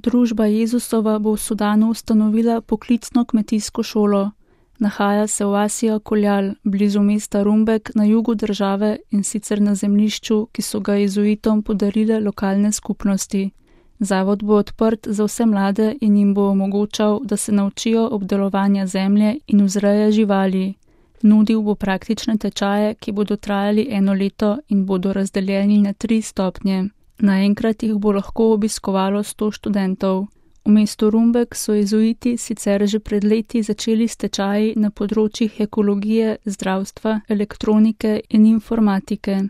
Družba Jezusova bo v Sudanu ustanovila poklicno kmetijsko šolo. Nahaja se v Asija Koljal, blizu mesta Rumbek na jugu države in sicer na zemljišču, ki so ga jezuitom podarile lokalne skupnosti. Zavod bo odprt za vse mlade in jim bo omogočal, da se naučijo obdelovanja zemlje in vzreje živali. Nudil bo praktične tečaje, ki bodo trajali 1 leto in bodo razdeljeni na 3 stopnje. Naenkrat jih bo lahko obiskovalo 100 študentov. V mestu Rumbek so jezuiti sicer že pred leti začeli s tečaji na področjih ekologije, zdravstva, elektronike in informatike.